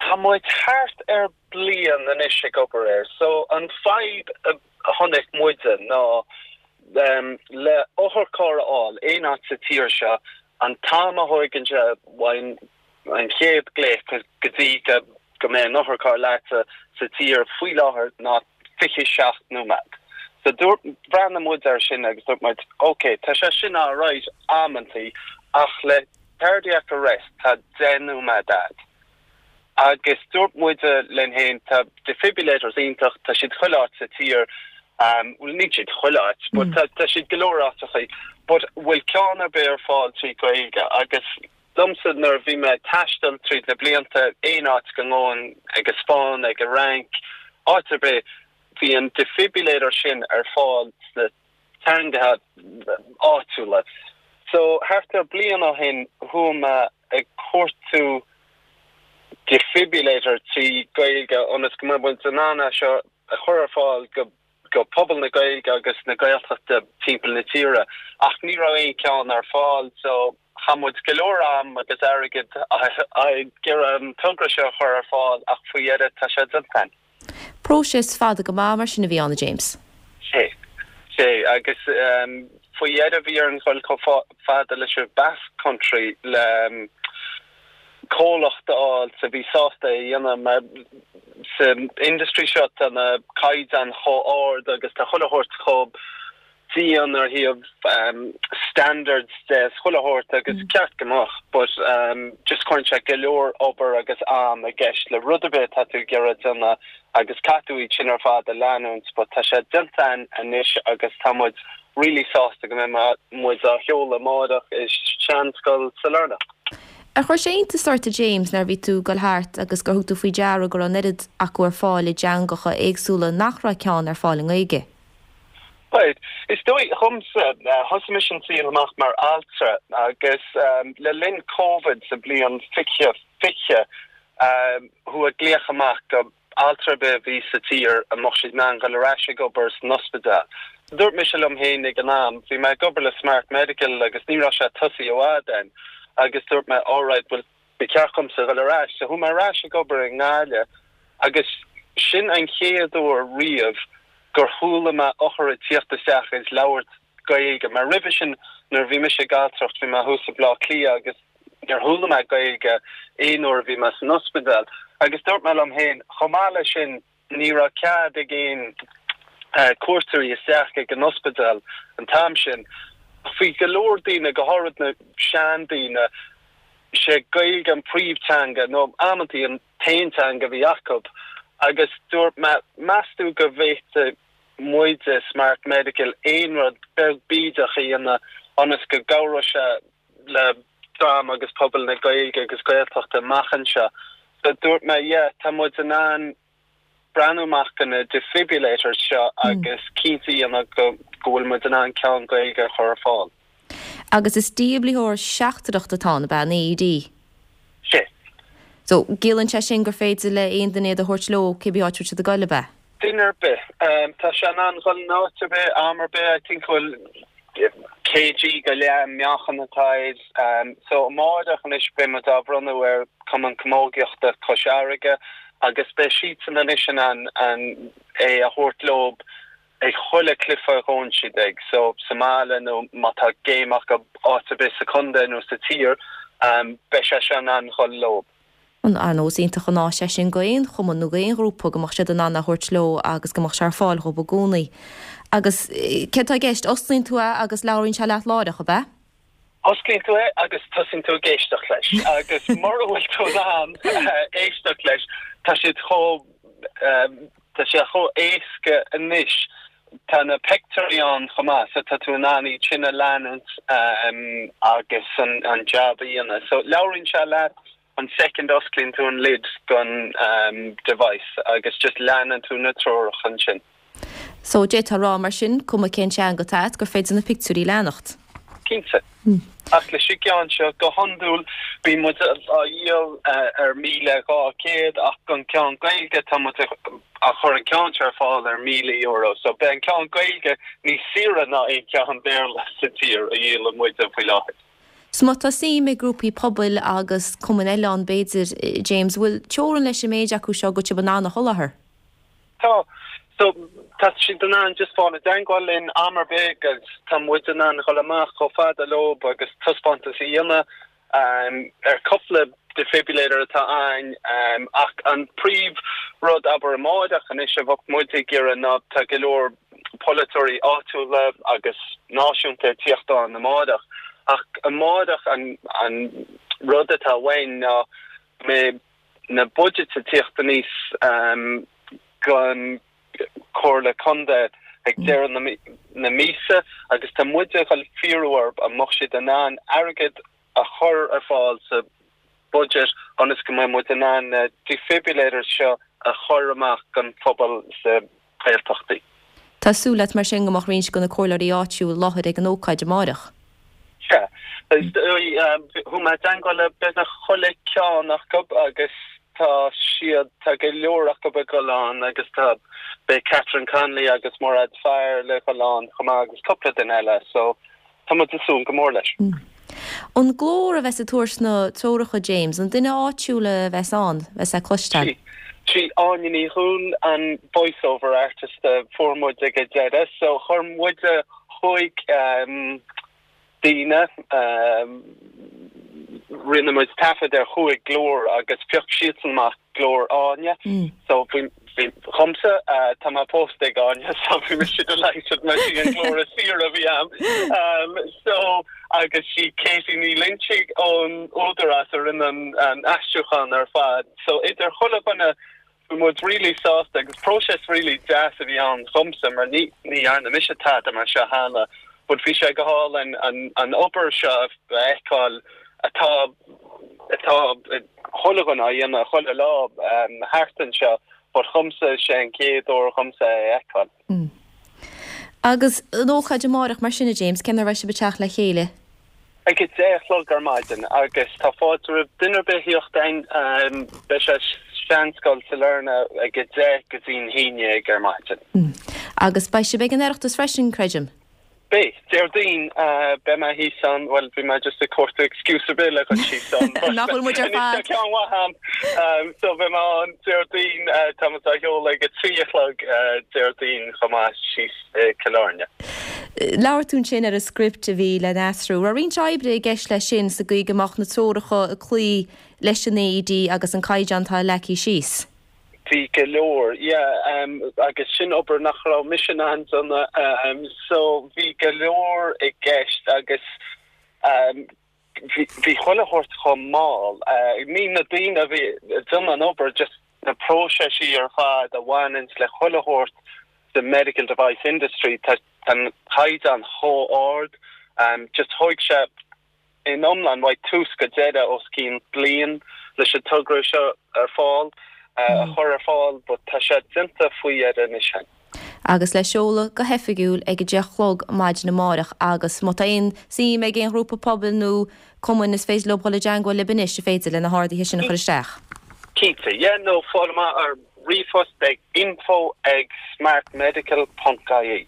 Tá muid thart ar bliain anois ag obair air. So an fadhb a chonaic muide ná le otharcharr a fháil aon áit sa tír seo, an t-am a thóigeann sé ón an chéad glaoch go dtí go go mbeidh an otharcharr leatsa sa tír faoi láthair ná 27 nóiméad. So dúirt, bhreathnaigh muid air sin agus dúirt muid, ok, tá sé sin alright amantaí ach le cardiac arrest tá 10 nóiméad a'd. Agus dúirt muide linn féin, tá defibrillators iontach, tá siad chuile áit sa tír, bhuel níl siad chuile áit, but tá tá siad go leor áiteachaí, but bhfuil ceann ar bith ar fáil trí Ghaeilge? Agus liomsa nuair a bhí mé ag taisteal tríd na blianta, aon áit go ngabhainn, ag an Spáinn, ag an Fhrainc, áit ar bith, bhí an defibrillator sin ar fáil sna teangacha áitiúla. So thart ar bliain ó shin chuaigh mé ag cuartú defibrillator trí Gaeilge ionas go mbeadh muid in ann é seo a chur ar fáil go go pobal na Gaeilge agus na Gaeltachta timpeall na tíre ach ní raibh aon cheann ar fáil so chaith muid go leor am agus airgead ag iarraidh an togra seo a chur ar fáil ach faoi dheireadh tá sé déanta againn. Próiseas fada go maith mar sin a bhí ann, a James. Sea. Sea, agus faoi dheireadh bhí orainn dhul chomh fada leis an Basque Country le comhlacht a fháil a bhí sásta é a dhéanamh mar sa industry seo tá na caighdeáin chomh ard agus tá chuile shórt chomh dian ar thaobh standards de is chuile shórt agus ceart go mbeadh but just cuireann sé go leor obair agus am i gceist le rud ar bith atá tú ag iarraidh déanamh agus caithfidh tú iad sin ar fad a leanúint but tá sé déanta againn anois agus tá muid really sásta go mbeidh muid á sheoladh amáireach i Seanscoil Sailearna. Ar chuir sé iontas ort a James nuair a bhí tú ag dul thart agus gur thug tú faoi deara go raibh an oiread acu ar fáil i dteangacha éagsúla nach raibh ceann ar fáil i nGaeilge? Right. Is dóigh dhomsa, thosaigh mise an saol amach mar altra agus le linn Covid sa bhliain 2020, chuaigh glaoch amach go altra ar bith a bhí sa tír an mbeadh siad in ann dhul ar ais ag obair san ospidéal. Dúirt mise liom féin ag an am, bhí mé ag obair le Smart Medical agus ní raibh sé tosaithe i bhfad ann agus dúirt mé alright, bhuel, Ba cheart dhomsa dhul ar ais. So chuaigh mé ar ais ag obair i nGaillimh agus sin an chéad uair riamh gur chuala mé othar ag tíocht isteach is labhairt Gaeilge. Mar roimhe sin nuair a bhí mise ag altracht bhí mé thuas i Bleá Cliath agus níor chuala mé Gaeilge aon uair a bhí mé san ospidéal. Agus dúirt mé liom féin, chomh maith leis sin, Ní raibh cead ag aon cuairteoirí isteach ag an ospidéal an t-am sin. Ach bhí go leor daoine, go háirid na seandaoine, sé Gaeilge an príomhteanga nó amantaí an t-aon teanga a bhí acu. Agus dúirt mé, meas tú go bhféadfadh muide, Smart Medical, aon rud beag bídeach a dhéanamh ionas go gcabhródh sé le dream agus pobal na Gaeilge agus Gaeltachta amach anseo. So dúirt mé, yeah, tá muid in ann breathnú amach do na defibrillators seo agus cinnte a dhéanamh go go bhfuil muid in ann ceann Gaeilge a chur ar fáil. Agus is dífhibritheoir seachtrach atá ann, ab ea, an AED? Sea. So, ciallaíonn sé sin gur féidir le aon duine iad a thabhairt leo cibé áit a bhfuil siad ag goil, ab ea? Duine ar bith. Tá sé in ann dhul in áit ar bith, am ar bith. I think go bhfuil kg go leith an meáchan atá air. So amáireach anois beidh muid á bhronnadh ar Cumann Camógaíochta Chois Fharraige agus beidh siadsan anois in ann é a thabhairt leo ag chuile cluiche a ghabhann siad ag. So sa mbaile nó má tá game acu áit ar bith sa chontae nó sa tír beidh sé seo in ann dhul leo. Ar ndóigh is iontach an áis é sin go aon chumann nó go aon ghrúpa go mbeadh siad in ann é a thabhairt leo agus go mbeadh sé ar fáil dhóibh i gcónaí. Agus céard atá i gceist? Osclaíonn tú é agus labhraíonn sé leat láithreach, ab ea? Osclaíonn tú é agus tosaíonn tú ag éisteacht leis. Agus mura bhfuil tú in ann éisteacht leis, tá siad chomh, tá sé chomh éasca anois. Tá na pictiúirí ann chomh maith so tá tú in ann iad sin a leanúint agus an jab a dhéanamh. So labhraíonn sé leat an soicind a osclaíonn tú an lid den device agus just leanann tú na treoracha ansin. So d'fhéadfá a rá mar sin, cuma cén teanga atá agat, gur féidir na pictiúirí a leanacht. Cinnte. Ach leis an gceann seo, go hiondúil, bíonn muid á dhíol ar 1,200 ach don ceann Gaeilge tá muid á chur an ceann seo ar fáil ar €1,000. So beidh an ceann Gaeilge níos saoire ná aon cheann Béarla sa tír a dhíolann muide faoi láthair. So má tá suim ag grúpaí pobail agus cumainn eile ann b'fhéidir, James, bhfuil teorainn leis an méid acu seo go bhfuil sibh in ann a sholáthar? Tá. So, tá siad in ann just fáil i dteangmháil linn am ar bith agus tá muid in ann dhul amach chomh fada leob agus taispeántas a dhéanamh ar cúpla defibrillator atá ann ach an príomh rud abair amáireach anois a bheadh muid ag iarraidh ná tá go leor polaiteoirí áitiúla agus náisiúnta ag tíocht ann amáireach ach amáireach an an rud atá uainn ná go mbeidh na budgets ag tíocht aníos gon Comhairle Contae ag deireadh na míosa agus tá muid ag dul fiafraí orthu an mbeadh siad in ann airgead a chur ar fáil sa budget ionas go mbeidh muid in ann na defibrillators seo a chur amach don phobal sa Ghaeltachtaí. Tá súil agat mar sin go mbeadh roinnt de na comhairleoirí áitiúil i láthair ag an ócáid amáireach? Sea. Chuaigh mé i dteangmháil le beagnach chuile ceann acu agus tá siad, tá go leor acu ag dul ann agus tá, beidh Catherine Connolly agus Mairéad Farr le dhul ann chomh maith agus cúpla duine eile so tá muid ag súil go mór leis. An glór a bheas ag tabhairt na treoracha, James, an duine áitiúil a bheas ann, bheas le cloisteáil? Sí Áine Ní Dhúill an voice over artist a fuair muid ag an deireadh so chuir muid chuig daoine, rinne muid taifead ar chúig glór agus phioc siadsan amach glór Áine. So bhí, bhí, dhomsa, tá mé pósta ag Áine so bhí mise delighted mar sí an glór is saoire a bhí a'm. So agus sí Katie Ní Loinsigh ón Údarás a rinne an aistriúchán ar fad. So idir chuile dhuine Bhí muid really sásta agus próiseas really deas a bhí ann dhomsa mar ní ní dhearna mise tada mar seo cheana but bhí sé go hálainn an an obair seo a fheiceáil atá atá chuile dhuine á dhéanamh chuile lá thart anseo but dhomsa is é an chéad uair dhomsa é a fheiceáil. Agus an ócáid amáireach mar sin a James, cén uair a bheidh sibh ag teacht le chéile? Ag a 10 a chlog ar maidin agus tá fáilte roimh duine ar bith thíocht ann. Beidh sé Seanscoil Sailearna ag a 10 go dtí'n haon dhéag ar maidin. Agus beidh sibh ag an Oireachtas freisin, creidim? Beidh. Déardaoin beidh mé thíos ann, bhuel bhí mé just ag cuartú excuse ar bith le dhul síos ann but Nach bhfuil muid ar anois tá fad? ceann mhaith a'm. So beidh mé ann Déardaoin, tá muid á sheoladh ag a 3 a chlog Déardaoin chomh maith síos i Cill Airne. Labhair tú ansin ar an script a bhí le n-aistriú. Raibh roinnt oibre i gceist leis sin sa gcaoi go mbeadh na treoracha ag cloí leis an AED agus an caighdeán atá leagtha síos? Bhí go leor, yeah, agus sin obair nach raibh mise in ann déanamh. So bhí go leor i gceist agus bhí bhí chuile shórt chomh mall. Ní na daoine a bhí ag déanamh an obair, just na próiseisí ar fad a bhaineanns le chuile shórt sa medical device industry, tá an caighdeán chomh ard. Just thóig sé in iomlán uaidh tús go deireadh os cionn bliain leis an togra seo ar fáil, a chur ar fáil, but tá sé déanta faoi dheireadh anois féin. Agus le seoladh go hoifigiúil ag a 10 a chlog maidin amárach agus má tá aon suim ag aon ghrúpa pobail nó cumainn is féidir leo dhul i dteangmháil libh anois, is féidir, le na horduithe sin a chur isteach. Cinnte, yeah, nó fáil amach ar ríomhphost ag info ag smartmedical ponc ie.